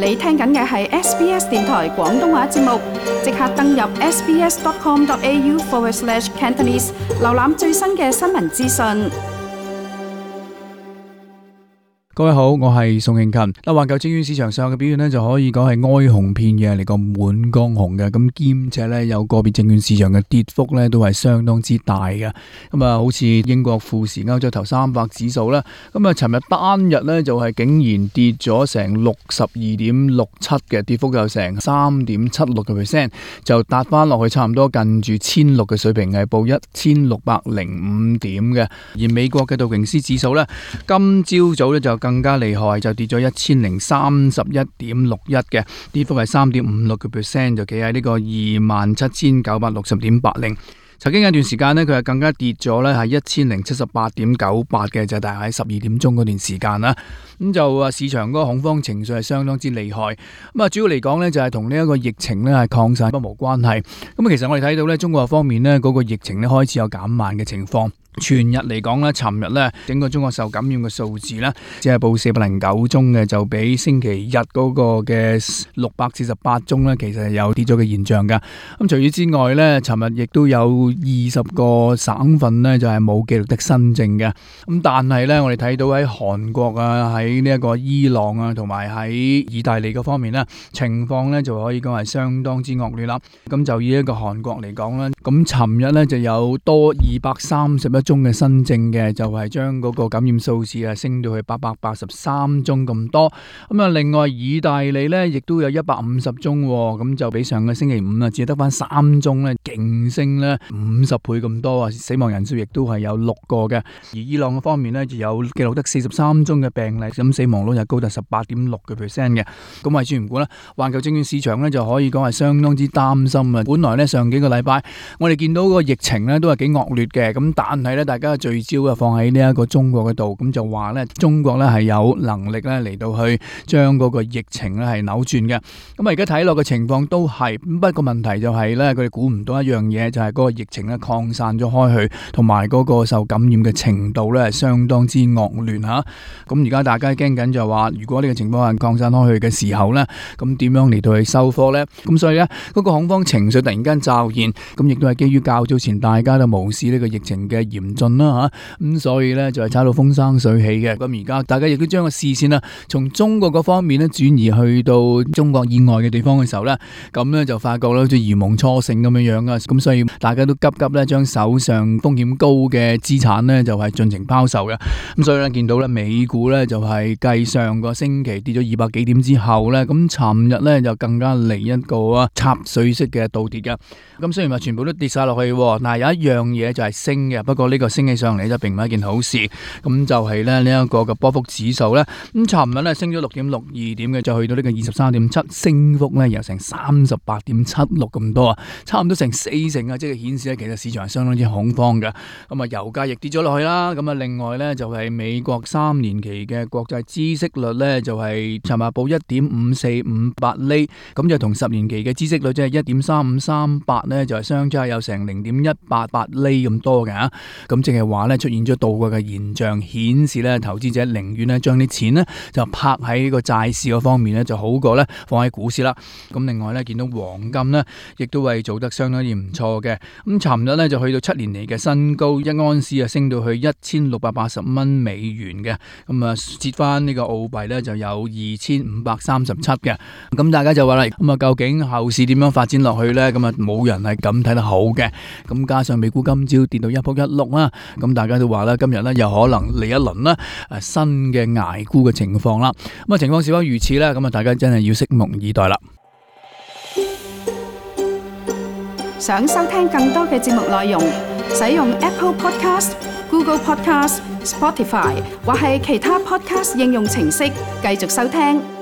你聽緊嘅係 SBS 電台廣東話節目，即刻登入 sbs.com.au/Cantonese 瀏覽最新嘅新聞資訊。各位好，我係宋慶勤。環球證券市場上嘅表現呢，就可以講係哀鴻遍野嚟個滿江紅嘅，咁兼且呢，有個別證券市場嘅跌幅呢，都係相當之大嘅。咁啊，好似英國富時歐洲頭300指數啦，咁啊，尋日單日呢，就係竟然跌咗成62.67嘅，跌幅有成3.76%，就達翻落去差唔多近住1600嘅水平，係報1605點嘅。而美國嘅道瓊斯指數呢，今朝早呢，就更加厲害，就跌咗1031.61嘅，跌幅係3.56%，就企喺呢個27,960.80。曾經有一段時間呢，佢係更加跌咗呢，係1078.98嘅，就大概喺12點鐘嗰段時間啦。咁就市場嗰個恐慌情緒係相當之厲害。咁啊，主要嚟講呢，就係同呢一個疫情呢係擴散不無關係。咁其實我哋睇到呢，中國方面呢，嗰個疫情呢開始有減慢嘅情況。全日嚟講呢，尋日呢，整個中國受感染嘅數字呢，只係報409宗嘅，就比星期日嗰個嘅648宗呢，其實係有跌咗嘅現象噶。咁除此之外呢，尋日亦都有20個省份呢，就係冇記錄得新症嘅。咁但係呢，我哋睇到喺韓國啊，喺呢一個伊朗啊，同埋喺意大利嗰方面呢，情況呢就可以講係相當之惡劣啦。咁就以一個韓國嚟講呢，咁尋日呢就有多231宗嘅新症嘅，就係將嗰個感染數字啊升到去883宗咁多。咁啊，另外意大利呢亦都有150宗，咁就比上個星期五啊只係得翻3宗呢，勁升呢50倍咁多啊！死亡人數亦都係有6個嘅。而伊朗嘅方面呢，就有記錄得43宗嘅病例，咁死亡率就高達18.6%嘅。咁為主唔管啦，環球證券市場呢就可以講係相當之擔心啊！本來呢，上幾個禮拜我哋見到個疫情呢都係幾惡劣嘅，咁但係呢，大家聚焦啊放喺呢一個中國嗰度，咁就話呢，中國呢係有能力呢嚟到去將嗰個疫情呢係扭轉嘅。咁啊而家睇落嘅情況都係，不過問題就係呢，佢哋估唔到一樣嘢，就係嗰個疫情呢擴散咗開去，同埋嗰個受感染嘅程度呢係相當之惡劣吓。咁而家大家驚緊就話，如果呢個情況係擴散開去嘅時候呢，咁點樣嚟到去收科呢？咁所以呢，嗰個恐慌情緒突然間驟現，咁亦都係基於較早前大家都無視呢個疫情嘅嚴峻啦吓，咁所以呢，就係炒到風生水起嘅。咁而家大家亦都將個視線啊從中國嗰方面呢轉移去到中國以外嘅地方嘅時候呢，咁呢就發覺咧好似如夢初醒咁樣樣啊！咁所以大家都急急咧將手上風險高嘅資產呢就係盡情拋售嘅。咁所以呢，見到呢美股呢就係繼上個星期跌咗200幾點之後呢，咁尋日呢就更加嚟一個插水式嘅倒跌嘅。咁雖然話全部都跌晒落去，但係有一樣嘢就係升嘅，不過呢個升起上嚟就並唔係一件好事。咁就係呢一個嘅波幅指數呢，咁尋日呢升咗6.62點嘅，就去到呢個23.7，升幅呢有成38.76咁多啊，差唔多成40%啊，即係顯示呢其實市場係相當之恐慌嘅。咁啊，油價亦跌咗落去啦。咁啊，另外呢就係美國3年期嘅國債孳息率呢，就係尋日報1.5458厘，咁就同10年期嘅孳息率即係1.3538呢，就係相差有成0.188厘咁多嘅。咁即係話呢出現咗倒掛嘅現象，顯示呢投資者寧願呢將啲錢呢就拍喺個債市嗰方面呢，就好過呢放喺股市啦。咁另外呢，見到黃金呢亦都係做得相當之唔錯嘅。咁尋日呢就去到7年嚟嘅新高，一盎司啊升到去1680蚊美元嘅。咁啊折翻呢個澳幣呢就有2537嘅。咁大家就話啦，咁啊究竟後市點樣發展落去呢？咁啊冇人係咁睇得好嘅。咁加上美股今朝跌到一仆一碌啦，咁大家都話啦，今日呢又可能嚟一輪啦新嘅捱沽嘅情況啦。咁啊情況是否如此呢？咁啊大家真係要拭目以待啦。想收聽更多嘅節目內容，使用 Apple Podcast、Google Podcast、Spotify 或係其他 Podcast 應用程式繼續收聽。